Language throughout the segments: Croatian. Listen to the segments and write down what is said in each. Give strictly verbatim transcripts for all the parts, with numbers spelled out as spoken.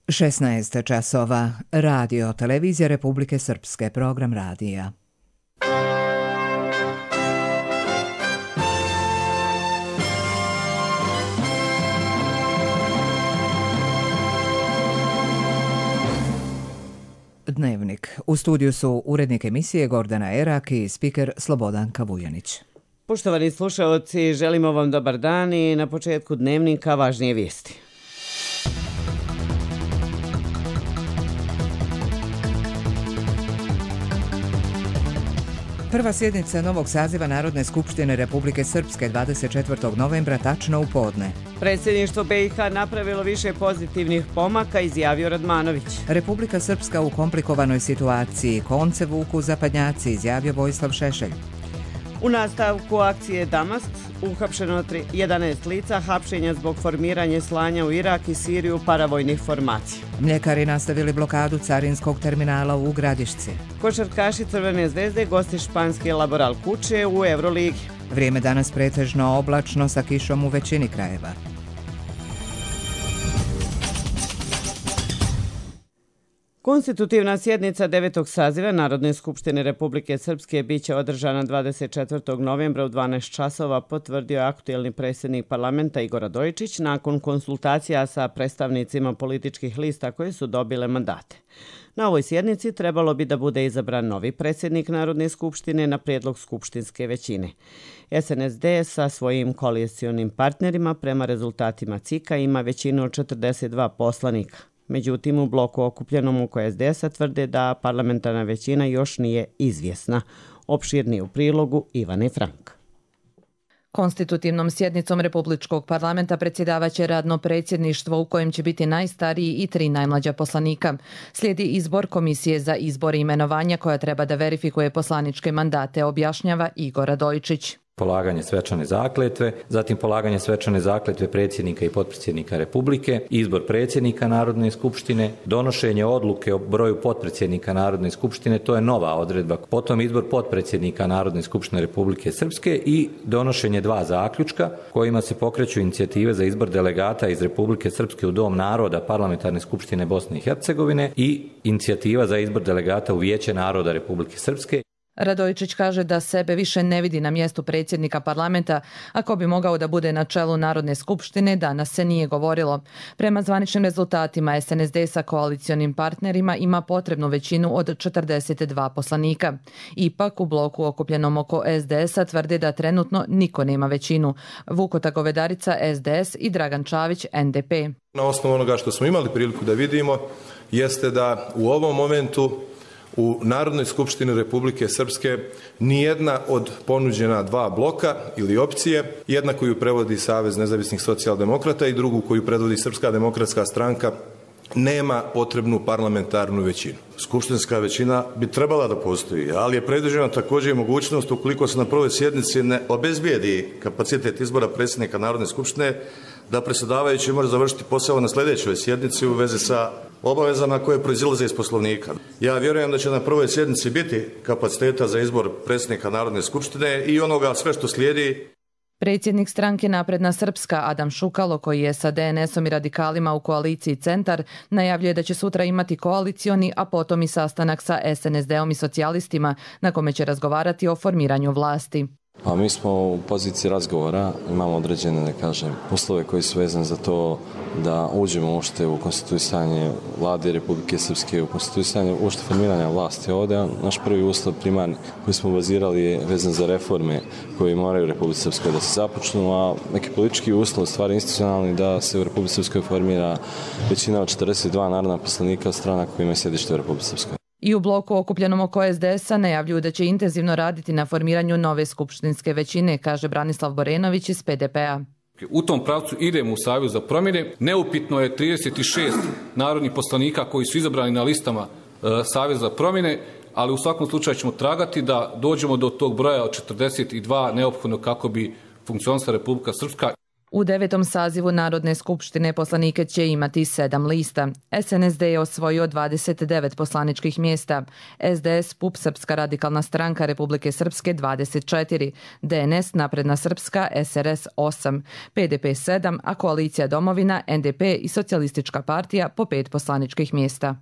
šesnaest časova. Radio Televizija Republike Srpske, program radija. Dnevnik. U studiju su urednik emisije Gordana Erak i spiker Slobodanka Vujanić. Poštovani slušaoci, želimo vam dobar dan i na početku dnevnika važnije vijesti. Prva sjednica novog saziva Narodne skupštine Republike Srpske dvadeset četvrtog novembra tačno u podne. Predsjedništvo B i H napravilo više pozitivnih pomaka, izjavio Radmanović. Republika Srpska u komplikovanoj situaciji, konce vuku zapadnjaci, izjavio Vojislav Šešelj. U nastavku akcije Damask uhapšeno jedanaest lica, hapšenja zbog formiranja slanja u Irak i Siriju paravojnih formacija. Mljekari nastavili blokadu carinskog terminala u Gradišci. Košarkaši Crvene zvezde gosti španski Laboral Kuče u Euroligi. Vrijeme danas pretežno oblačno sa kišom u većini krajeva. Konstitutivna sjednica devetog saziva Narodne skupštine Republike Srpske biće održana dvadeset četvrtog novembra u dvanaest časova, potvrdio aktuelni predsjednik parlamenta Igor Radojičić nakon konsultacija sa predstavnicima političkih lista koje su dobile mandate. Na ovoj sjednici trebalo bi da bude izabran novi predsjednik Narodne skupštine na prijedlog skupštinske većine. S N S D sa svojim koalicionim partnerima prema rezultatima C I K-a ima većinu od četrdeset dva poslanika. Međutim, u bloku okupljenom oko S D S-a tvrde da parlamentarna većina još nije izvjesna. Opširnije u prilogu Ivane Frank. Konstitutivnom sjednicom Republičkog parlamenta predsjedavaće radno predsjedništvo u kojem će biti najstariji i tri najmlađa poslanika. Slijedi izbor Komisije za izbor i imenovanja koja treba da verifikuje poslaničke mandate, objašnjava Igor Radojičić. Polaganje svečane zakletve, zatim polaganje svečane zakletve predsjednika i potpredsjednika Republike, izbor predsjednika Narodne skupštine, donošenje odluke o broju potpredsjednika Narodne skupštine, to je nova odredba, potom izbor potpredsjednika Narodne skupštine Republike Srpske i donošenje dva zaključka kojima se pokreću inicijative za izbor delegata iz Republike Srpske u Dom naroda Parlamentarne skupštine Bosne i Hercegovine i inicijativa za izbor delegata u Vijeće naroda Republike Srpske. Radojičić kaže da sebe više ne vidi na mjestu predsjednika parlamenta, ako bi mogao da bude na čelu Narodne skupštine, danas se nije govorilo. Prema zvaničnim rezultatima S N S D sa koalicionim partnerima ima potrebnu većinu od četrdeset dva poslanika. Ipak u bloku okupljenom oko S D S-a tvrde da trenutno niko nema većinu. Vukota Govedarica S D S i Dragan Čavić N D P. Na osnovu onoga što smo imali priliku da vidimo jeste da u ovom momentu u Narodnoj skupštini Republike Srpske nijedna od ponuđena dva bloka ili opcije, jedna koju prevodi Savez nezavisnih socijaldemokrata i drugu koju predvodi Srpska demokratska stranka, nema potrebnu parlamentarnu većinu. Skupštinska većina bi trebala da postoji, ali je predviđena također i mogućnost ukoliko se na prvoj sjednici ne obezbijedi kapacitet izbora predsjednika Narodne skupštine, da predsjedavajući može završiti posao na sljedećoj sjednici u vezi sa obavezama koje proizilaze iz Poslovnika. Ja vjerujem da će na prvoj sjednici biti kapaciteta za izbor predsjednika Narodne skupštine i onoga sve što slijedi. Predsjednik stranke Napredna Srpska Adam Šukalo, koji je sa D N S-om i radikalima u koaliciji Centar, najavljuje da će sutra imati koalicioni, a potom i sastanak sa S N S D-om i socijalistima, na kome će razgovarati o formiranju vlasti. A mi smo u poziciji razgovora, imamo određene, da kažem, uslove koji su vezani za to da uđemo uopšte u konstituisanje vlade Republike Srpske, u konstituisanje uopšte formiranja vlasti ovdje. Naš prvi uslov primarni koji smo bazirali je vezan za reforme koje moraju u Republike Srpskoj da se započnu, a neki politički uslov, stvari institucionalni, da se u Republike Srpskoj formira većina od četrdeset dva narodna poslanika strana koji ima sjedište u Republike Srpskoj. I u bloku okupljenom oko S D S-a najavljuju da će intenzivno raditi na formiranju nove skupštinske većine, kaže Branislav Borenović iz P D P-a. U tom pravcu idemo u Savez za promjene. Neupitno je trideset šest narodnih poslanika koji su izabrani na listama e, Saveza za promjene, ali u svakom slučaju ćemo tragati da dođemo do tog broja od četrdeset dva neophodno kako bi funkcionisala Republika Srpska. U devetom sazivu Narodne skupštine poslanike će imati sedam lista. S N S D je osvojio dvadeset devet poslaničkih mjesta, S D S, P U P, Srpska radikalna stranka Republike Srpske dvadeset četiri, D N S, Napredna Srpska, S R S osam, P D P sedam, a Koalicija Domovina, N D P i Socijalistička partija po pet poslaničkih mjesta.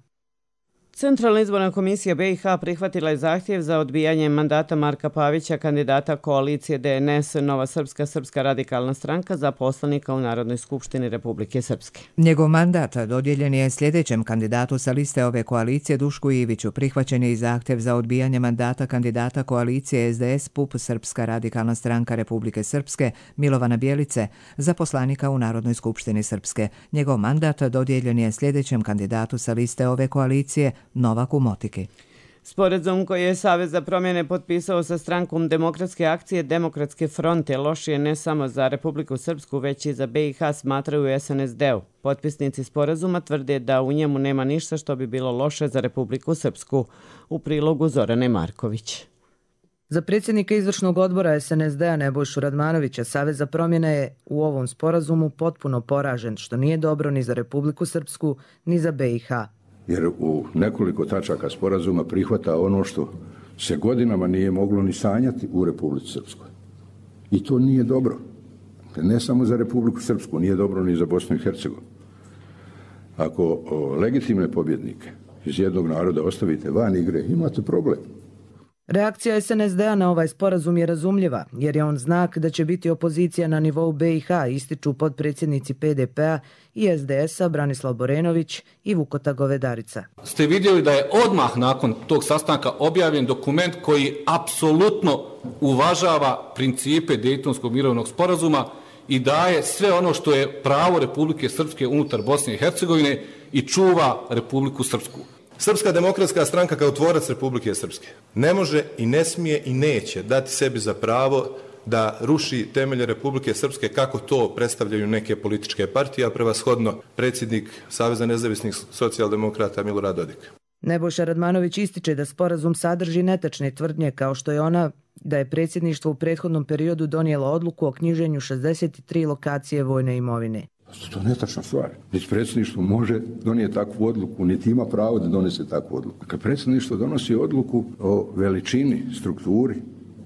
Centralna izborna komisija B i H prihvatila je zahtjev za odbijanje mandata Marka Pavića, kandidata koalicije D N S Nova Srpska Srpska radikalna stranka za poslanika u Narodnoj skupštini Republike Srpske. Njegov mandat dodijeljen je sljedećem kandidatu sa liste ove koalicije Dušku Iviću. Prihvaćen je i zahtjev za odbijanje mandata kandidata koalicije S D S P U P Srpska radikalna stranka Republike Srpske Milovana Bjelice za poslanika u Narodnoj skupštini Srpske. Njegov mandat dodijeljen je sljedećem kandidatu sa liste ove koalicije Novaku Motiki. Sporazum koji je Savez za promjene potpisao sa strankom Demokratske akcije Demokratske fronte loš je ne samo za Republiku Srpsku, već i za B i H, smatraju u S N S D-u. Potpisnici sporazuma tvrde da u njemu nema ništa što bi bilo loše za Republiku Srpsku. U prilogu Zorane Marković. Za predsjednika izvršnog odbora S N S D-a Nebojšu Radmanovića Savez za promjene je u ovom sporazumu potpuno poražen, što nije dobro ni za Republiku Srpsku, ni za B i H. Jer u nekoliko tačaka sporazuma prihvata ono što se godinama nije moglo ni sanjati u Republici Srpskoj. I to nije dobro. Ne samo za Republiku Srpsku, nije dobro ni za Bosnu i Hercegovinu. Ako o, legitimne pobjednike iz jednog naroda ostavite van igre, imate problem. Reakcija S N S D-a na ovaj sporazum je razumljiva, jer je on znak da će biti opozicija na nivou B i H, ističu potpredsjednici P D P-a i S D S-a Branislav Borenović i Vukota Govedarica. Ste vidjeli da je odmah nakon tog sastanka objavljen dokument koji apsolutno uvažava principe Dejtonskog mirovnog sporazuma i daje sve ono što je pravo Republike Srpske unutar Bosne i Hercegovine i čuva Republiku Srpsku. Srpska demokratska stranka kao tvorac Republike Srpske ne može i ne smije i neće dati sebi za pravo da ruši temelje Republike Srpske kako to predstavljaju neke političke partije, a prevashodno predsjednik Saveza nezavisnih socijaldemokrata Milorad Dodik. Nebojša Radmanović ističe da sporazum sadrži netačne tvrdnje kao što je ona da je predsjedništvo u prethodnom periodu donijelo odluku o knjiženju šezdeset tri lokacije vojne imovine. To je netačna stvar. Niti predsjedništvo može donijeti takvu odluku, niti ima pravo da donese takvu odluku. Kad predsjedništvo donosi odluku o veličini, strukturi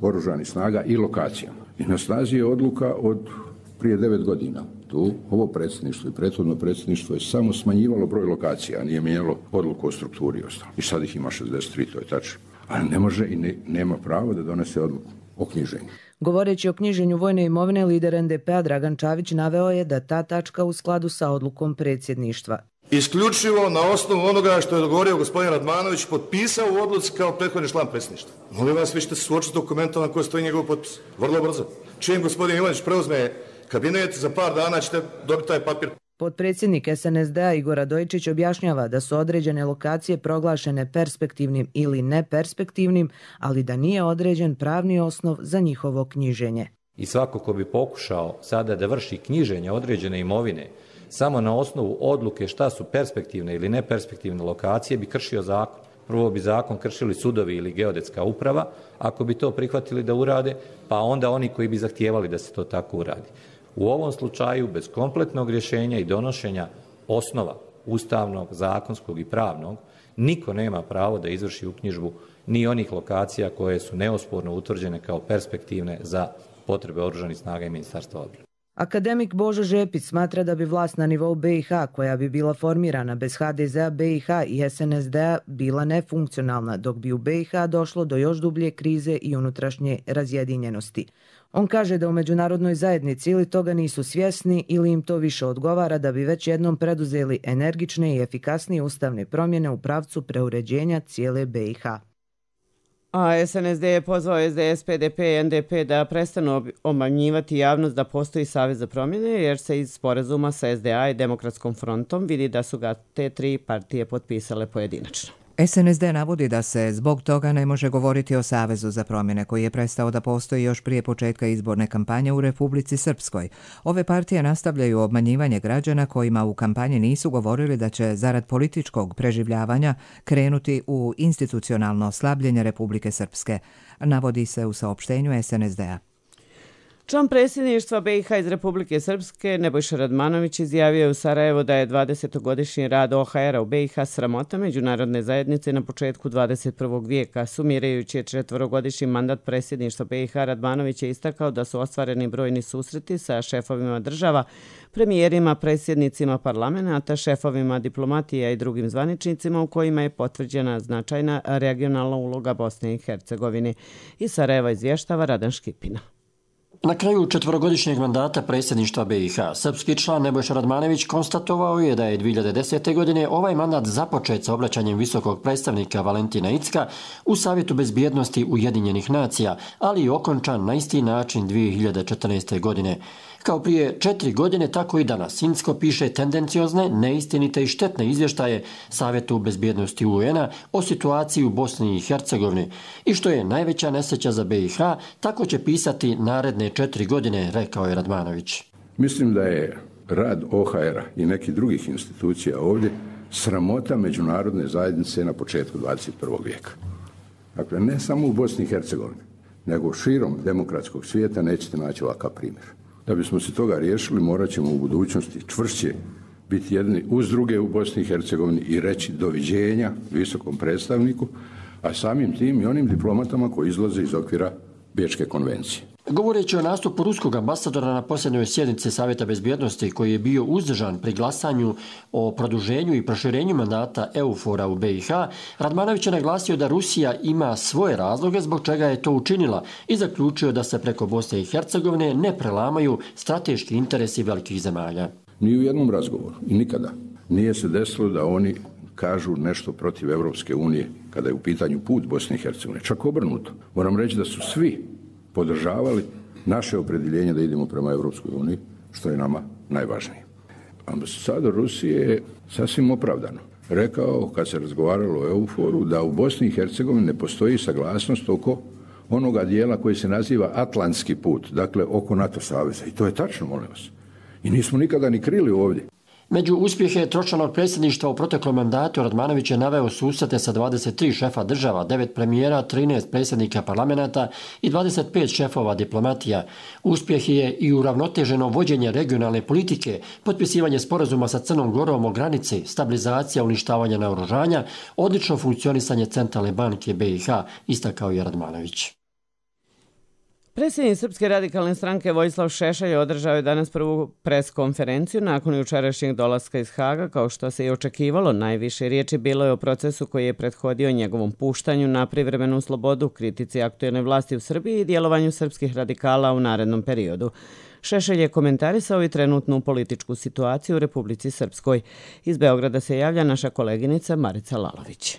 oružanih snaga i lokacijama. I na snazi je odluka od prije devet godina. Tu ovo predsjedništvo i prethodno predsjedništvo je samo smanjivalo broj lokacija, a nije mijenjalo odluku o strukturi i ostalo. I sad ih ima šezdeset tri, to je tačno. Ali ne može i ne, nema pravo da donese odluku o knjiženju. Govoreći o knjiženju vojne imovine, lider N D P-a Dragan Čavić naveo je da ta tačka u skladu sa odlukom predsjedništva. Isključivo na osnovu onoga što je dogovorio gospodin Radmanović, potpisao u odluci kao prethodni član predsjedništva. Molim vas, vi ćete se suočiti s dokumentom na koje stoji njegov potpis. Vrlo brzo. Čim gospodin Ivanić preuzme kabinet, za par dana ćete dobiti taj papir. Potpredsjednik S N S D-a Igor Radojičić objašnjava da su određene lokacije proglašene perspektivnim ili neperspektivnim, ali da nije određen pravni osnov za njihovo knjiženje. I svako ko bi pokušao sada da vrši knjiženje određene imovine samo na osnovu odluke šta su perspektivne ili neperspektivne lokacije bi kršio zakon. Prvo bi zakon kršili sudovi ili geodetska uprava, ako bi to prihvatili da urade, pa onda oni koji bi zahtijevali da se to tako uradi. U ovom slučaju, bez kompletnog rješenja i donošenja osnova ustavnog, zakonskog i pravnog, niko nema pravo da izvrši uknjižbu ni onih lokacija koje su neosporno utvrđene kao perspektivne za potrebe oružanih snaga i Ministarstva odbrane. Akademik Božo Žepić smatra da bi vlast na nivou B i H, koja bi bila formirana bez H D Z-a, B i H i S N S D-a, bila nefunkcionalna, dok bi u B i H došlo do još dublje krize i unutrašnje razjedinjenosti. On kaže da u međunarodnoj zajednici ili toga nisu svjesni ili im to više odgovara da bi već jednom preduzeli energične i efikasnije ustavne promjene u pravcu preuređenja cijele B i H. A S N S D je pozvao S D S, P D P i N D P da prestanu obmanjivati javnost da postoji Savez za promjene, jer se iz sporazuma sa S D A i Demokratskom frontom vidi da su ga te tri partije potpisale pojedinačno. S N S D navodi da se zbog toga ne može govoriti o Savezu za promjene koji je prestao da postoji još prije početka izborne kampanje u Republici Srpskoj. Ove partije nastavljaju obmanjivanje građana kojima u kampanji nisu govorili da će zarad političkog preživljavanja krenuti u institucionalno slabljenje Republike Srpske, navodi se u saopštenju S N S D-a. Član predsjedništva B i H iz Republike Srpske Nebojša Radmanović izjavio u Sarajevu da je dvadesetogodišnji rad O H R-a u B i H sramota međunarodne zajednice na početku dvadeset prvog vijeka. Sumirajući četvorogodišnji mandat predsjedništva B i H, Radmanović je istakao da su ostvareni brojni susreti sa šefovima država, premijerima, predsjednicima parlamenta, šefovima diplomatija i drugim zvaničnicima u kojima je potvrđena značajna regionalna uloga Bosne i Hercegovine. Iz Sarajeva izvještava Radan Škipina. Na kraju četvorogodišnjeg mandata predsjedništva B i H, srpski član Nebojša Radmanović konstatovao je da je dvije hiljade desete. godine ovaj mandat započet sa obraćanjem visokog predstavnika Valentina Incka u Savjetu bezbjednosti Ujedinjenih nacija, ali i okončan na isti način dvije hiljade četrnaeste. godine. Kao prije četiri godine, tako i danas. Incko piše tendenciozne, neistinite i štetne izvještaje Savjetu bezbjednosti U N-a o situaciji u Bosni i Hercegovini. I što je najveća nesreća za B i H, tako će pisati naredne četiri godine, rekao je Radmanović. Mislim da je rad O H R-a i nekih drugih institucija ovdje sramota međunarodne zajednice na početku dvadeset prvog vijeka. Dakle, ne samo u Bosni i Hercegovini, nego širom demokratskog svijeta nećete naći ovakav primjer. Da bismo se toga riješili, morat ćemo u budućnosti čvršće biti jedni uz druge u Bosni i Hercegovini i reći doviđenja visokom predstavniku, a samim tim i onim diplomatama koji izlaze iz okvira Bečke konvencije. Govoreći o nastupu ruskog ambasadora na posljednjoj sjednici Savjeta bezbjednosti koji je bio uzdržan pri glasanju o produženju i proširenju mandata EUFOR-a u B i H, Radmanović je naglasio da Rusija ima svoje razloge zbog čega je to učinila i zaključio da se preko Bosne i Hercegovine ne prelamaju strateški interesi velikih zemalja. Ni u jednom razgovoru i nikada nije se desilo da oni kažu nešto protiv Evropske unije kada je u pitanju put Bosne i Hercegovine. Čak obrnuto. Moram reći da su svi podržavali naše opredjeljenje da idemo prema Evropskoj uniji, što je nama najvažnije. Ambasador Rusije je sasvim opravdano rekao, kad se razgovaralo o EUFOR-u, da u Bosni i Hercegovini ne postoji saglasnost oko onoga dijela koji se naziva Atlantski put, dakle oko NATO saveza. I to je tačno, molim vas. I nismo nikada ni krili ovdje. Među uspjehe tročlanog predsjedništva u proteklom mandatu Radmanović je naveo susrete sa dvadeset tri šefa država, devet premijera, trinaest predsjednika parlamenta i dvadeset pet šefova diplomatija. Uspjeh je i uravnoteženo vođenje regionalne politike, potpisivanje sporazuma sa Crnom Gorom o granici, stabilizacija uništavanja naoružanja, odlično funkcionisanje Centralne banke B i H, istakao je Radmanović. Predsjednik Srpske radikalne stranke Vojislav Šešelj održao je danas prvu pres konferenciju nakon jučerašnjeg dolaska iz Haga. Kao što se i očekivalo, najviše riječi bilo je o procesu koji je prethodio njegovom puštanju na privremenu slobodu, kritici aktuelne vlasti u Srbiji i djelovanju srpskih radikala u narednom periodu. Šešelj je komentarisao i trenutnu političku situaciju u Republici Srpskoj. Iz Beograda se javlja naša koleginica Marica Lalović.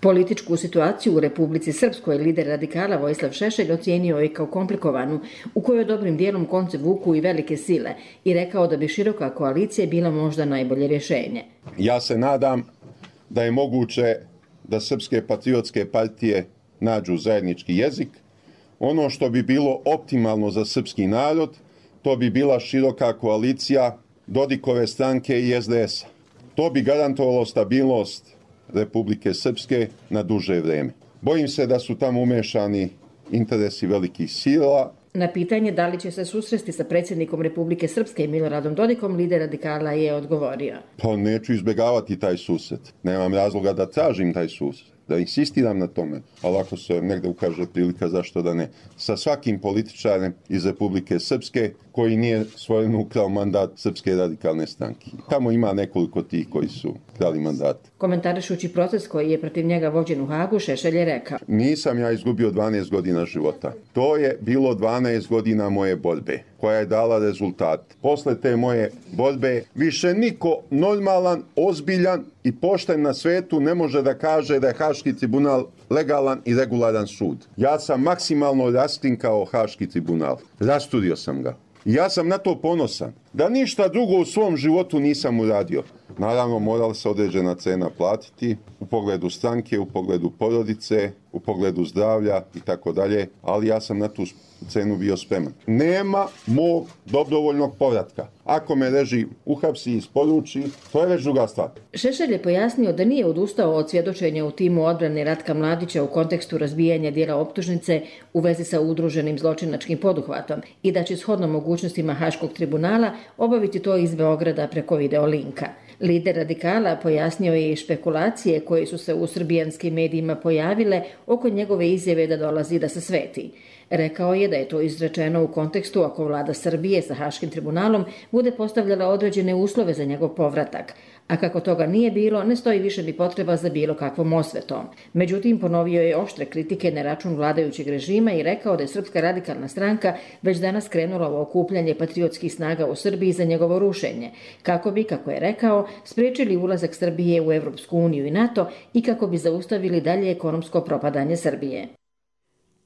Političku situaciju u Republici Srpskoj lider radikala Vojislav Šešelj ocijenio je kao komplikovanu, u kojoj dobrim dijelom konce vuku i velike sile i rekao da bi široka koalicija bila možda najbolje rješenje. Ja se nadam da je moguće da srpske patriotske partije nađu zajednički jezik. Ono što bi bilo optimalno za srpski narod, to bi bila široka koalicija Dodikove stranke i S D S-a. To bi garantovalo stabilnost Republike Srpske na duže vrijeme. Bojim se da su tamo umešani interesi velikih sila. Na pitanje da li će se susresti sa predsjednikom Republike Srpske Miloradom Dodikom, lider radikala je odgovorio. Pa neću izbjegavati taj susret. Nemam razloga da tražim taj susret, da insistiram na tome, ali ako se negde ukaže prilika, zašto da ne. Sa svakim političarem iz Republike Srpske koji nije svojim ukrao mandat Srpske radikalne stranke. Tamo ima nekoliko tih koji su krali mandat. Komentarišući proces koji je protiv njega vođen u Hagu, Šešelj je rekao: Nisam ja izgubio dvanaest godina života. To je bilo dvanaest godina moje borbe, koja je dala rezultat. Posle te moje borbe više niko normalan, ozbiljan i pošten na svetu ne može da kaže da je Haški tribunal legalan i regularan sud. Ja sam maksimalno raskrinkao Haški tribunal. Rasturio sam ga. I ja sam na to ponosan. Da ništa drugo u svom životu nisam uradio. Naravno, morala se određena cena platiti u pogledu stranke, u pogledu porodice, u pogledu zdravlja i tako dalje, ali ja sam na tu cenu bio spreman. Nema mog dobrovoljnog povratka. Ako me režim uhapsi i isporuči, to je već druga stvar. Šešelj je pojasnio da nije odustao od svjedočenja u timu odbrane Ratka Mladića u kontekstu razbijanja dijela optužnice u vezi sa udruženim zločinačkim poduhvatom i da će shodno mogućnostima Haškog tribunala obaviti to iz Beograda preko videolinka. Lider radikala pojasnio je i špekulacije koje su se u srbijanskim medijima pojavile oko njegove izjave da dolazi da se sveti. Rekao je da je to izrečeno u kontekstu ako vlada Srbije sa Haškim tribunalom bude postavljala određene uslove za njegov povratak, a kako toga nije bilo, ne stoji više ni potreba za bilo kakvom osvetom. Međutim, ponovio je oštre kritike na račun vladajućeg režima i rekao da je Srpska radikalna stranka već danas krenula u okupljanje patriotskih snaga u Srbiji za njegovo rušenje, kako bi, kako je rekao, spriječili ulazak Srbije u Evropsku uniju i NATO i kako bi zaustavili dalje ekonomsko propadanje Srbije.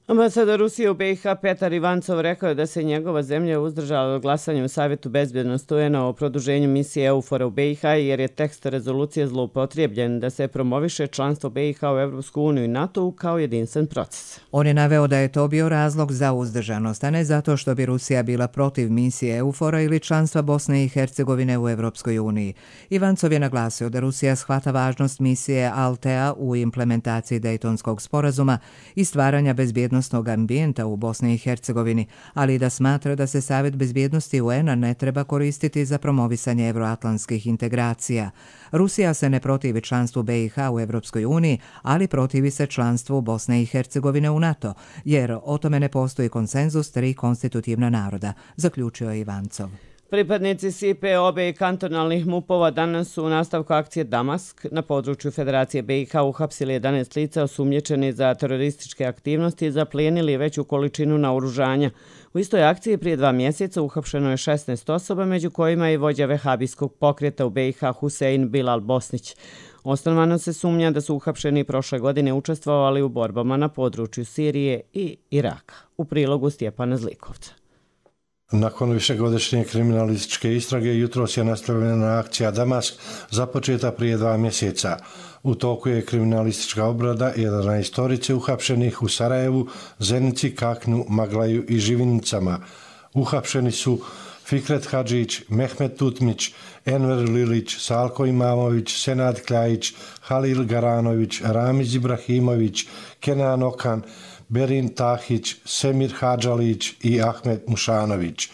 Ambasador Rusije u B i H Petar Ivancov rekao je da se njegova zemlja uzdržala od glasanja u Savjetu bezbednosti U N A o produženju misije EUFOR-a u B i H jer je tekst rezolucije zloupotrebljen da se promoviše članstvo B i H u Evropsku uniju i NATO kao jedinstven proces. On je naveo da je to bio razlog za uzdržanost, a ne zato što bi Rusija bila protiv misije EUFOR-a ili članstva Bosne i Hercegovine u Evropskoj uniji. Ivancov je naglasio da Rusija shvata važnost misije Altea u implementaciji Dejtonskog sporazuma i stvaranja bezbjednosti ambijenta u Bosni i Hercegovini, ali i da smatra da se Savjet bezbjednosti U N A ne treba koristiti za promovisanje evroatlantskih integracija. Rusija se ne protivi članstvu B i H u Evropskoj uniji, ali protivi se članstvu Bosne i Hercegovine u NATO, jer o tome ne postoji konsenzus tri konstitutivna naroda, zaključio je Ivancov. Pripadnici S I P E obe i kantonalnih MUP-ova danas su u nastavku akcije Damask na području Federacije B i H uhapsili jedanaest lica osumnjičeni za terorističke aktivnosti i zaplijenili veću količinu naoružanja. U istoj akciji prije dva mjeseca uhapšeno je šesnaest osoba, među kojima je vođa vehabijskog pokreta u B i H Husein Bilal Bosnić. Osnovano se sumnja da su uhapšeni prošle godine učestvovali u borbama na području Sirije i Iraka. U prilogu Stjepana Zlikovca. Nakon višegodišnje kriminalističke istrage jutros je nastavljena akcija Damask započeta prije dva mjeseca. U toku je kriminalistička obrada jedanaestorice uhapšenih u Sarajevu, Zenici, Kaknu, Maglaju i Živinicama. Uhapšeni su Fikret Hadžić, Mehmet Tutmić, Enver Lilić, Salko Imamović, Senad Kljajić, Halil Garanović, Ramiz Ibrahimović, Kenan Okan, Berin Tahić, Semir Hadžalić i Ahmed Mušanović.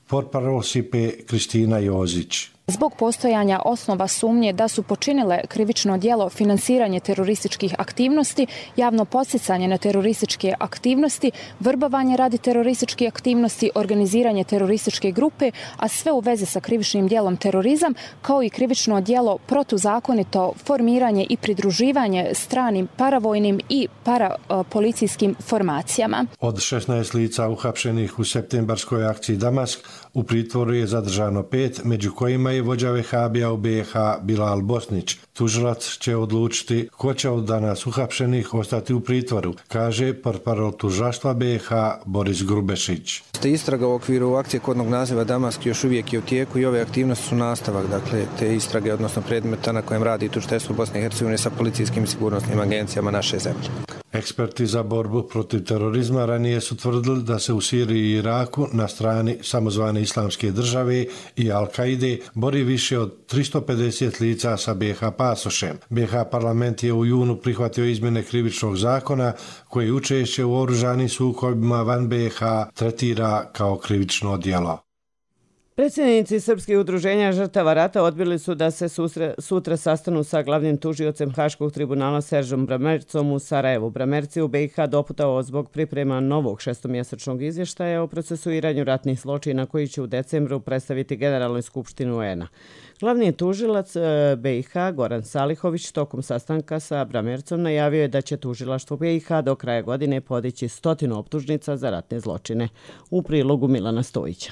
Portparol S I P E Kristina Jozić. Zbog postojanja osnova sumnje da su počinile krivično djelo finansiranje terorističkih aktivnosti, javno podsticanje na terorističke aktivnosti, vrbovanje radi terorističke aktivnosti, organiziranje terorističke grupe, a sve u vezi sa krivičnim djelom terorizam, kao i krivično djelo protuzakonito formiranje i pridruživanje stranim paravojnim i parapolicijskim formacijama. Od šesnaest lica uhapšenih u septembarskoj akciji Damask u pritvoru je zadržano pet, među kojima je vođa vehabija u B i H Bilal Bosnić. Tužilac će odlučiti ko će od danas uhapšenih ostati u pritvoru, kaže portparol tužilaštva B i H Boris Grubešić. Istraga u okviru akcije kodnog naziva Damask još uvijek je u tijeku i ove aktivnosti su nastavak, dakle, te istrage, odnosno predmeta na kojem radi tužiteljstvo Bosne i Hercegovine sa policijskim i sigurnosnim agencijama naše zemlje. Eksperti za borbu protiv terorizma ranije su tvrdili da se u Siriji i Iraku na strani samozvane Islamske države i Al-Kaide bori više od tristo pedeset lica sa B i H pasošem. B i H parlament je u junu prihvatio izmjene krivičnog zakona koji učešće u oružanim sukobima van B i H tretira kao krivično djelo. Predsjednici Srpskih udruženja žrtava rata odbili su da se susre, sutra sastanu sa glavnim tužiocem Haškog tribunala Seržom Bramercom u Sarajevu. Bramerci u B i H doputao zbog priprema novog šestomjesečnog izvještaja o procesuiranju ratnih zločina koji će u decembru predstaviti Generalnoj skupštini U N A. Glavni tužilac B i H Goran Salihović tokom sastanka sa Bramercom najavio je da će tužilaštvo B i H do kraja godine podići stotinu optužnica za ratne zločine. U prilogu Milana Stojića.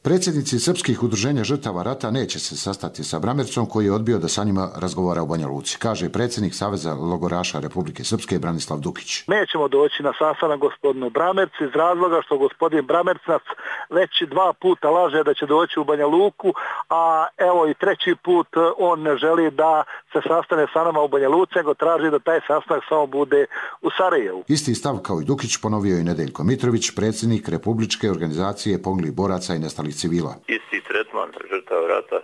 Predsjednici srpskih udruženja žrtava rata neće se sastati sa Bramercom koji je odbio da sa njima razgovara u Banja Luci, kaže predsjednik Saveza logoraša Republike Srpske Branislav Dukić. Nećemo doći na sastanak gospodinu Bramercu iz razloga što gospodin Bramerc nas već dva puta laže da će doći u Banja Luku, a evo i treći put on ne želi da se sastane sa nama u Banja Luci, nego traži da taj sastanak samo bude u Sarajevu. Isti stav kao i Dukić ponovio i Nedeljko Mitrović, predsjednik Republičke organizacije poginulih boraca i nestalih civila. Isti tretman žrtava rata,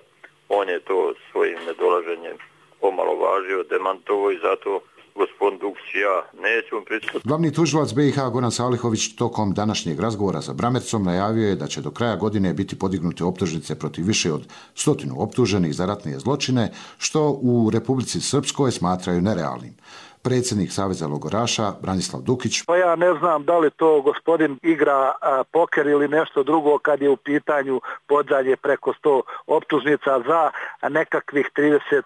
on je to svojim nedolaženjem omalovažio, demantovo i zato gospodin Dukić i ja nećemo pristupiti. Glavni tužilac B i H Goran Salihović tokom današnjeg razgovora sa Bramercom najavio je da će do kraja godine biti podignute optužnice protiv više od stotinu optuženih za ratne zločine, što u Republici Srpskoj smatraju nerealnim. Predsjednik Saveza logoraša Branislav Dukić. Pa ja ne znam da li to gospodin igra a, poker ili nešto drugo kad je u pitanju podalje preko sto optužnica za nekakvih trideset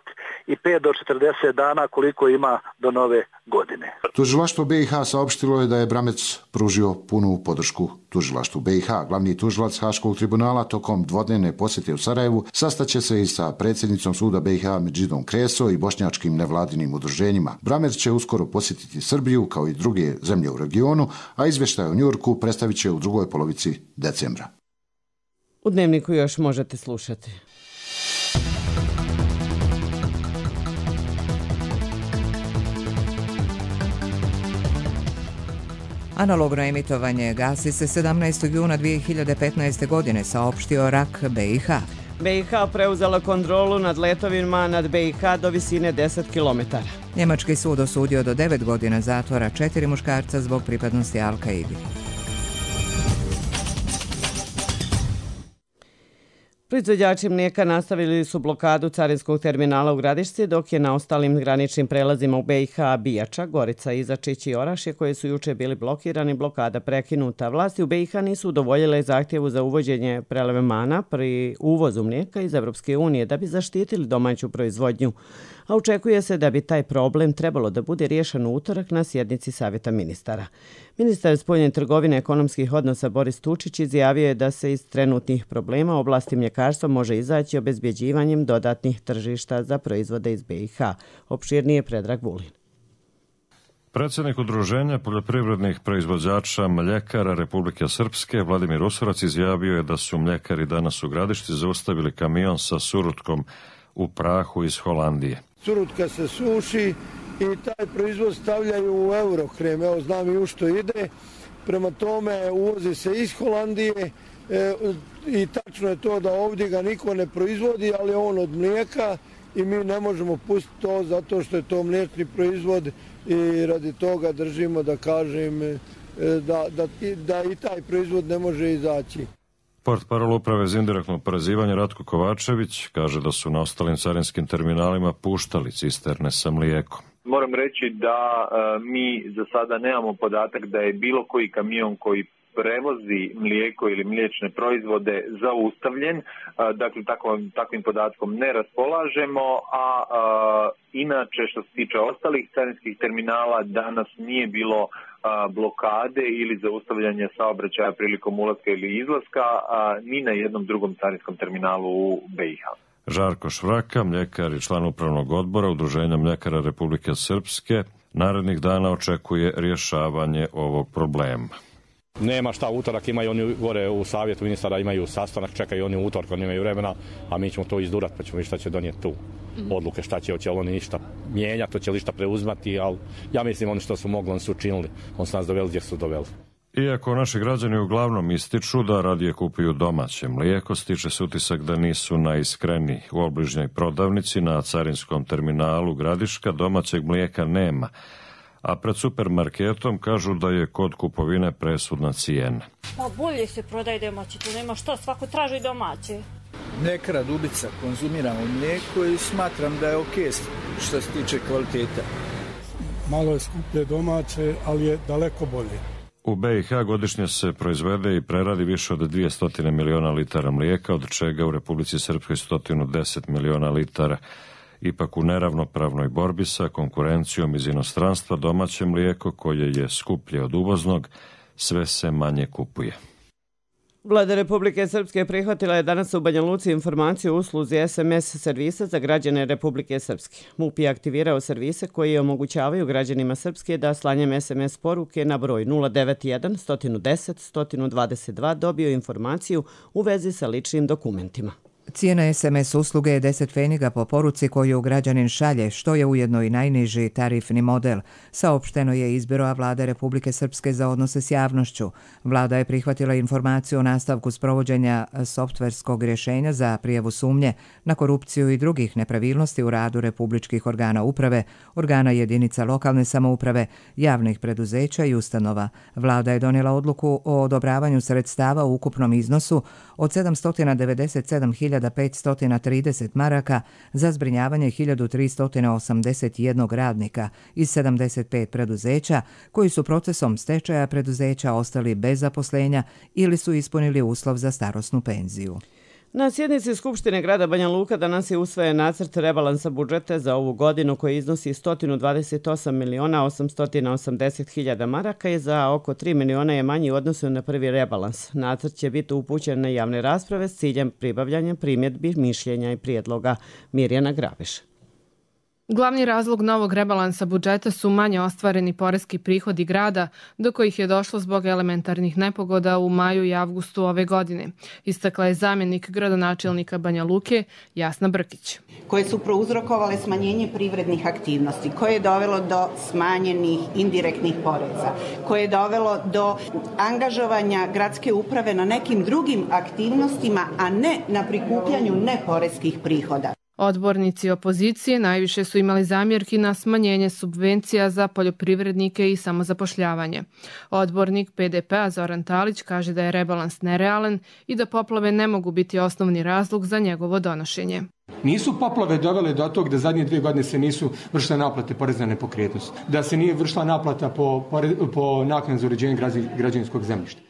pet do četrdeset dana koliko ima do nove godine. Tužilaštvo B i H saopštilo je da je Bramerc pružio punu podršku tužilaštvu B i H. Glavni tužilac Haškog tribunala tokom dvodnevne posjete u Sarajevu sastaće se i sa predsjednicom suda B i H Medžidom Kreso i bošnjačkim nevladinim udruženjima. Bramerc će uskoro posjetiti Srbiju kao i druge zemlje u regionu, a izvještaj o Njujorku predstavit će u drugoj polovici decembra. U Dnevniku još možete slušati. Analogno emitovanje gasi se sedamnaestog juna dvije hiljade petnaeste. godine, saopštio R A K B i H. B i H preuzela kontrolu nad letovima nad B i H do visine deset kilometara. Njemački sud osudio do devet godina zatvora četiri muškarca zbog pripadnosti Al-Kaidi. Proizvođači mlijeka nastavili su blokadu carinskog terminala u Gradišci, dok je na ostalim graničnim prelazima u B i H Bijača, Gorica, Izačić i Orašje, koji su juče bili blokirani, blokada prekinuta. Vlasti u B i H nisu udovoljile zahtjevu za uvođenje prelevmana pri uvozu mlijeka iz Evropske unije da bi zaštitili domaću proizvodnju, a očekuje se da bi taj problem trebalo da bude riješen u utorak na sjednici Savjeta ministara. Ministar spoljne trgovine i ekonomskih odnosa Boris Tučić izjavio je da se iz trenutnih problema u oblasti mljekarstva može izaći obezbjeđivanjem dodatnih tržišta za proizvode iz B i H. Opširnije Predrag Vulin. Predsjednik Udruženja poljoprivrednih proizvođača mljekara Republike Srpske Vladimir Usurac izjavio je da su mljekari danas u Gradišci zaustavili kamion sa surutkom u prahu iz Holandije. Surutka se suši i taj proizvod stavljaju u Eurokrem, evo znam i u što ide, prema tome uvozi se iz Holandije e, i tačno je to da ovdje ga niko ne proizvodi, ali on od mlijeka i mi ne možemo pustiti to zato što je to mliječni proizvod i radi toga držimo da kažem e, da, da, da i taj proizvod ne može izaći. Portparol uprave za indirektno oporezivanje Ratko Kovačević kaže da su na ostalim carinskim terminalima puštali cisterne sa mlijekom. Moram reći da e, mi za sada nemamo podatak da je bilo koji kamion koji prevozi mlijeko ili mliječne proizvode zaustavljen, e, dakle takvim, takvim podatkom ne raspolažemo, a e, inače što se tiče ostalih carinskih terminala danas nije bilo a, blokade ili zaustavljanja saobraćaja prilikom ulaska ili izlaska a, ni na jednom drugom carinskom terminalu u B i H. Žarko Švraka, mljekar i član upravnog odbora Udruženja mljekara Republike Srpske, narednih dana očekuje rješavanje ovog problema. Nema šta, utorak imaju oni gore u savjetu ministara, imaju sastanak, čekaju oni utorak, oni imaju vremena, a mi ćemo to izdurati, pa ćemo vidjeti šta će donijeti tu odluke, šta će, hoće oni ništa mijenjati, hoće li šta preuzmati, ali ja mislim oni što su mogli, oni su učinili, oni su nas doveli gdje su doveli. Iako naši građani uglavnom ističu da radije kupuju domaće mlijeko, stiče se utisak da nisu najiskreniji. U obližnjoj prodavnici na carinskom terminalu Gradiška domaćeg mlijeka nema, a pred supermarketom kažu da je kod kupovine presudna cijena. Pa bolje se prodaje domaće, to nema što, svako traži domaće. Mljekara Dubica, konzumiramo mlijeko i smatram da je okej što se tiče kvaliteta. Malo je skuplje domaće, ali je daleko bolje. U B i H godišnje se proizvede i preradi više od dvjesto miliona litara mlijeka, od čega u Republici Srpskoj sto deset miliona litara. Ipak u neravnopravnoj borbi sa konkurencijom iz inostranstva domaće mlijeko, koje je skuplje od uvoznog, sve se manje kupuje. Vlada Republike Srpske prihvatila je danas u Banja Luci informaciju o usluzi es em es servisa za građane Republike Srpske. MUP je aktivirao servise koji omogućavaju građanima Srpske da slanjem es em es poruke na broj nula devet jedan jedan deset jedan dvadeset dva dobio informaciju u vezi sa ličnim dokumentima. Cijena es em es usluge je deset pfeniga po poruci koju građanin šalje, što je ujedno i najniži tarifni model. Saopšteno je iz Biroa Vlade Republike Srpske za odnose s javnošću. Vlada je prihvatila informaciju o nastavku sprovođenja softverskog rješenja za prijavu sumnje na korupciju i drugih nepravilnosti u radu republičkih organa uprave, organa jedinica lokalne samouprave, javnih preduzeća i ustanova. Vlada je donijela odluku o odobravanju sredstava u ukupnom iznosu od sedamsto devedeset sedam hiljada petsto trideset maraka za zbrinjavanje hiljadu tristo osamdeset jedan radnika iz sedamdeset pet preduzeća koji su procesom stečaja preduzeća ostali bez zaposlenja ili su ispunili uslov za starosnu penziju. Na sjednici Skupštine grada Banja Luka danas je usvojen nacrt rebalansa budžeta za ovu godinu koji iznosi sto dvadeset osam miliona osamsto osamdeset hiljada maraka i za oko tri miliona je manji u odnosu na prvi rebalans. Nacrt će biti upućen na javne rasprave s ciljem pribavljanja primjedbi, mišljenja i prijedloga. Mirjana Grabiš. Glavni razlog novog rebalansa budžeta su manje ostvareni poreski prihodi grada, do kojih je došlo zbog elementarnih nepogoda u maju i avgustu ove godine, istakla je zamjenik gradonačelnika Banja Luke Jasna Brkić. Koje su prouzrokovale smanjenje privrednih aktivnosti, koje je dovelo do smanjenih indirektnih poreza, koje je dovelo do angažovanja gradske uprave na nekim drugim aktivnostima, a ne na prikupljanju neporeskih prihoda. Odbornici opozicije najviše su imali zamjerki na smanjenje subvencija za poljoprivrednike i samozapošljavanje. Odbornik pe de pe-a Zoran Talić kaže da je rebalans nerealan i da poplave ne mogu biti osnovni razlog za njegovo donošenje. Nisu poplave dovele do tog da zadnje dvije godine se nisu vršile naplate poreza na nepokretnost, da se nije vršila naplata po, po naknadi za uređenje građevinskog zemljišta.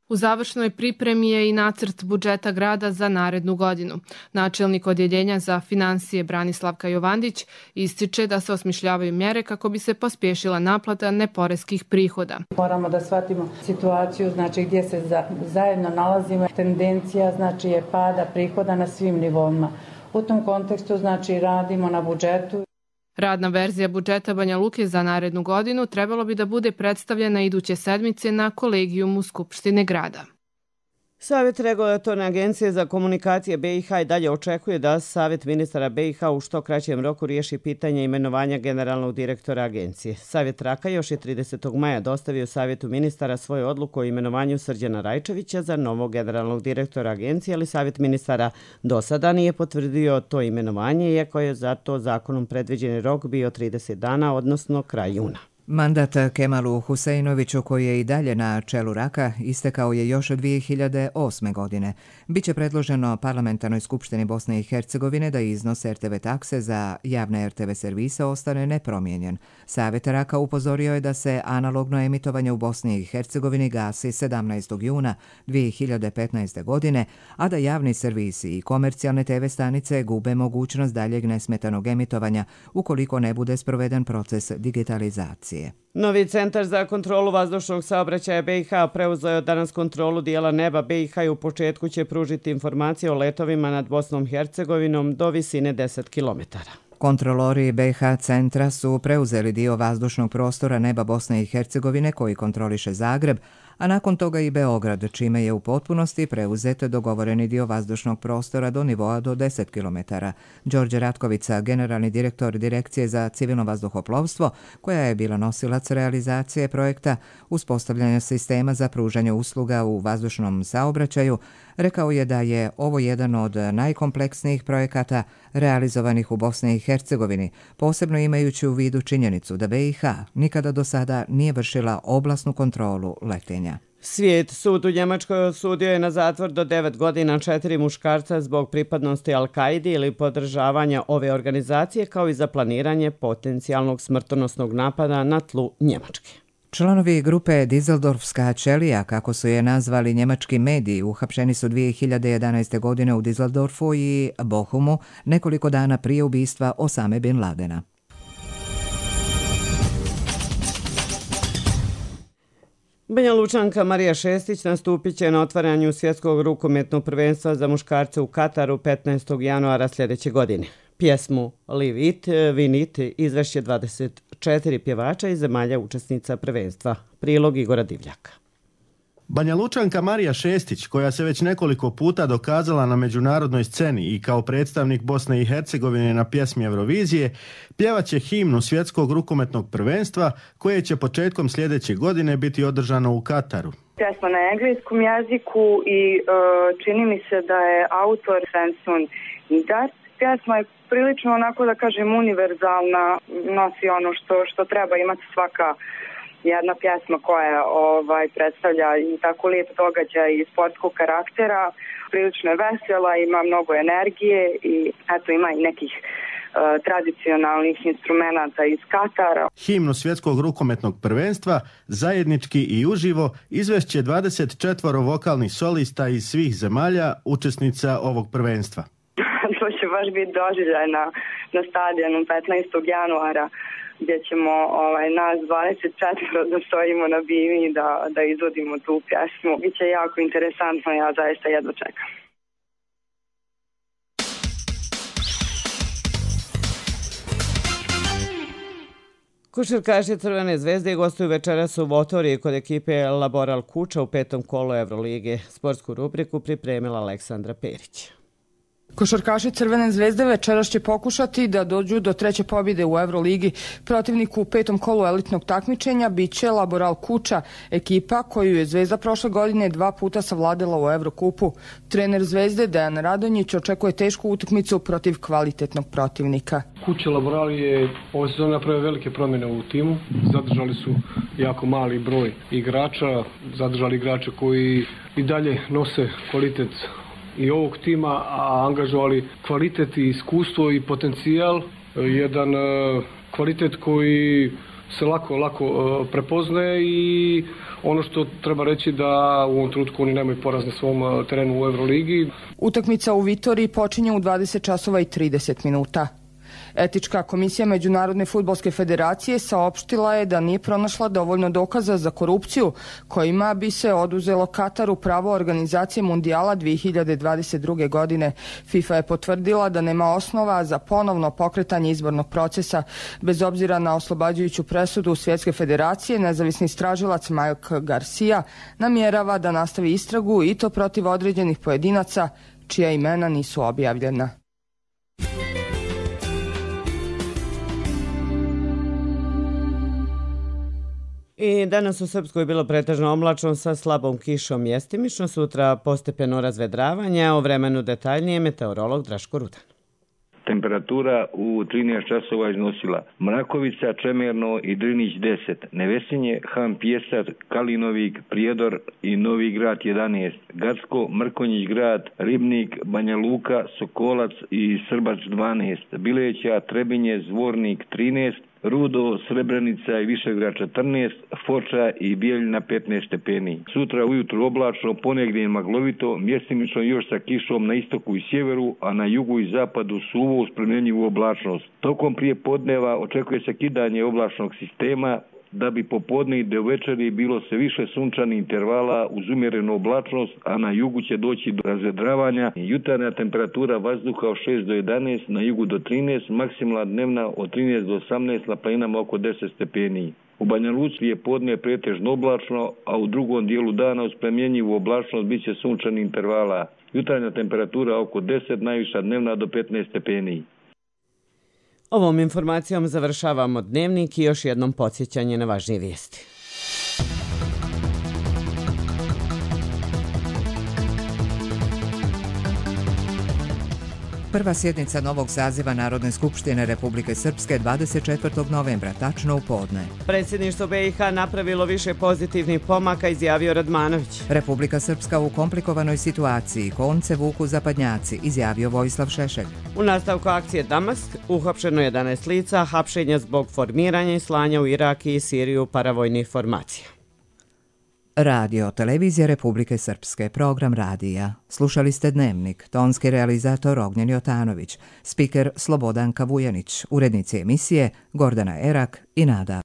U završnoj pripremi je i nacrt budžeta grada za narednu godinu. Načelnik odjeljenja za financije Branislavka Jovandić ističe da se osmišljavaju mjere kako bi se pospješila naplata neporeskih prihoda. Moramo da shvatimo situaciju, znači gdje se za, zajedno nalazimo. Tendencija znači je pada prihoda na svim nivoima. U tom kontekstu znači radimo na budžetu. Radna verzija budžeta Banja Luke za narednu godinu trebalo bi da bude predstavljena iduće sedmice na kolegijumu Skupštine grada. Savjet regulatorne agencije za komunikacije be i ha i dalje očekuje da Savjet ministara be i ha u što kraćem roku riješi pitanje imenovanja generalnog direktora agencije. Savjet Raka još je tridesetog maja dostavio Savjetu ministara svoju odluku o imenovanju Srđana Rajčevića za novog generalnog direktora agencije, ali Savjet ministara do sada nije potvrdio to imenovanje, iako je za to zakonom predviđeni rok bio trideset dana, odnosno kraj juna. Mandat Kemalu Huseinoviću, koji je i dalje na čelu Raka, istekao je još od dvije hiljade osme. godine. Biće predloženo Parlamentarnoj skupštini Bosne i Hercegovine da iznos er te ve takse za javne er te ve servise ostane nepromijenjen. Savjet Raka upozorio je da se analogno emitovanje u Bosni i Hercegovini gasi sedamnaestog juna dvije hiljade petnaeste. godine, a da javni servisi i komercijalne te ve stanice gube mogućnost daljeg nesmetanog emitovanja ukoliko ne bude sproveden proces digitalizacije. Novi centar za kontrolu vazdušnog saobraćaja be i ha preuzeo je danas kontrolu dijela neba be i ha i u početku će pružiti informacije o letovima nad Bosnom i Hercegovinom do visine deset kilometara. Kontrolori be i ha centra su preuzeli dio vazdušnog prostora neba Bosne i Hercegovine koji kontroliše Zagreb, a nakon toga i Beograd, čime je u potpunosti preuzet dogovoreni dio vazdušnog prostora do nivoa do deset kilometara. Đorđe Ratkovica, generalni direktor Direkcije za civilno vazduhoplovstvo, koja je bila nosilac realizacije projekta uspostavljanja sistema za pružanje usluga u vazdušnom saobraćaju, rekao je da je ovo jedan od najkompleksnijih projekata realizovanih u Bosni i Hercegovini, posebno imajući u vidu činjenicu da be i ha nikada do sada nije vršila oblasnu kontrolu letenja. Svijet sud u Njemačkoj osudio je na zatvor do devet godina četiri muškarca zbog pripadnosti Al-Kaidi ili podržavanja ove organizacije, kao i za planiranje potencijalnog smrtonosnog napada na tlu Njemačke. Članovi grupe Dizeldorfska ćelija, kako su je nazvali njemački mediji, uhapšeni su dvije hiljade jedanaeste. godine u Dizeldorfu i Bochumu, nekoliko dana prije ubistva Osame bin Ladena. Banja Lučanka Marija Šestić nastupit će na otvaranju svjetskog rukometnog prvenstva za muškarce u Kataru petnaestog januara sljedeće godine. Pjesmu Live It, Win It izvešće dvadeset četiri pjevača iz zemalja učesnica prvenstva. Prilog Igora Divljaka. Banja Lučanka Marija Šestić, koja se već nekoliko puta dokazala na međunarodnoj sceni i kao predstavnik Bosne i Hercegovine na pjesmi Eurovizije, pjevaće himnu svjetskog rukometnog prvenstva koje će početkom sljedeće godine biti održano u Kataru. Pjesma na engleskom jeziku i uh, čini mi se da je autor Svensson Nidar. Pjesma je prilično onako da kažem univerzalna, nosi ono što, što treba imati svaka jedna pjesma koja ovaj, predstavlja i tako lijep događaj i sportskog karaktera, prilično je vesela, ima mnogo energije i eto ima i nekih uh, tradicionalnih instrumenata iz Katara. Himnu svjetskog rukometnog prvenstva zajednički i uživo izvešće dvadeset četiri vokalnih solista iz svih zemalja učesnica ovog prvenstva. To će baš biti doživljaj na, na stadionu petnaestog januara gdje ćemo ovaj, nas dvadeset četiri da stojimo na bini da, da izvodimo tu pjesmu. Biće jako interesantno, ja zaista jedva čekam. Košarkaši Crvene zvezde gostuju večeras u Votoriji kod ekipe Laboral Kuča u petom kolu Evrolige. Sportsku rubriku pripremila Aleksandra Perić. Košarkaši Crvene zvezde večeras će pokušati da dođu do treće pobjede u Euroligi. Protivniku u petom kolu elitnog takmičenja biće Laboral Kuča, ekipa koju je Zvezda prošle godine dva puta savladala u Evrokupu. Trener Zvezde Dejan Radonjić očekuje tešku utakmicu protiv kvalitetnog protivnika. Kuća Laboral je ove sezone napravio velike promjene u timu. Zadržali su jako mali broj igrača, zadržali igrače koji i dalje nose kvalitet i ovog tima, a angažovali kvalitet i iskustvo i potencijal, jedan kvalitet koji se lako, lako prepoznaje i ono što treba reći da u ovom trenutku oni nemaju poraz na svom terenu u Euroligi. Utakmica u Vitoriji počinje u dvadeset časova i trideset minuta. Etička komisija Međunarodne fudbalske federacije saopštila je da nije pronašla dovoljno dokaza za korupciju kojima bi se oduzelo Kataru pravo organizacije Mundijala dvije hiljade dvadeset druge. godine. FIFA je potvrdila da nema osnova za ponovno pokretanje izbornog procesa. Bez obzira na oslobađajuću presudu Svjetske federacije, nezavisni istražilac Mike Garcia namjerava da nastavi istragu i to protiv određenih pojedinaca čija imena nisu objavljena. I danas u Srpskoj bilo pretežno oblačno sa slabom kišom mjestimično, sutra postepeno razvedravanje, o vremenu detaljnije meteorolog Draško Rudan. Temperatura u trinaest časova iznosila Mrakovica, Čemerno i Drinić deset, Nevesinje, Han Pjesar, Kalinovik, Prijedor i Novi Grad jedanaest, Gacko, Mrkonjić Grad, Ribnik, Banja Luka, Sokolac i Srbač dvanaest, Bileća, Trebinje, Zvornik trinaest, Rudo, Srebrenica i Višegrad četrnaest, Foča i Bijeljina petnaest stepeni. Sutra ujutru oblačno, ponegdje maglovito, mjestimično još sa kišom na istoku i sjeveru, a na jugu i zapadu suvo uz promjenjivu oblačnost. Tokom prije podneva očekuje se kidanje oblačnog sistema, da bi popodne i do večeri bilo se više sunčanih intervala uz umjerenu oblačnost, a na jugu će doći do razvedravanja. Jutarnja temperatura vazduha od šest do jedanaest, na jugu do trinaest, maksimalna dnevna od trinaest do osamnaest, na planinama oko deset stepeni. U Banja Luci je podne pretežno oblačno, a u drugom dijelu dana uz promjenjivu oblačnost bit će sunčanih intervala. Jutarnja temperatura oko deset, najviša dnevna do petnaest stepeni. Ovom informacijom završavamo dnevnik i još jednom podsjećanje na važnije vijesti. Prva sjednica novog saziva Narodne skupštine Republike Srpske dvadeset četvrtog novembra, tačno u podne. Predsjedništvo B i H napravilo više pozitivnih pomaka, izjavio Radmanović. Republika Srpska u komplikovanoj situaciji, konce vuku zapadnjaci, izjavio Vojislav Šešelj. U nastavku akcije Damask uhapšeno jedanaest lica, hapšenja zbog formiranja i slanja u Irak i Siriju paravojnih formacija. Radio Televizija Republike Srpske, program radija. Slušali ste Dnevnik, tonski realizator Ognjen Jotanović, spiker Slobodan Kavujanić, urednici emisije Gordana Erak i Nada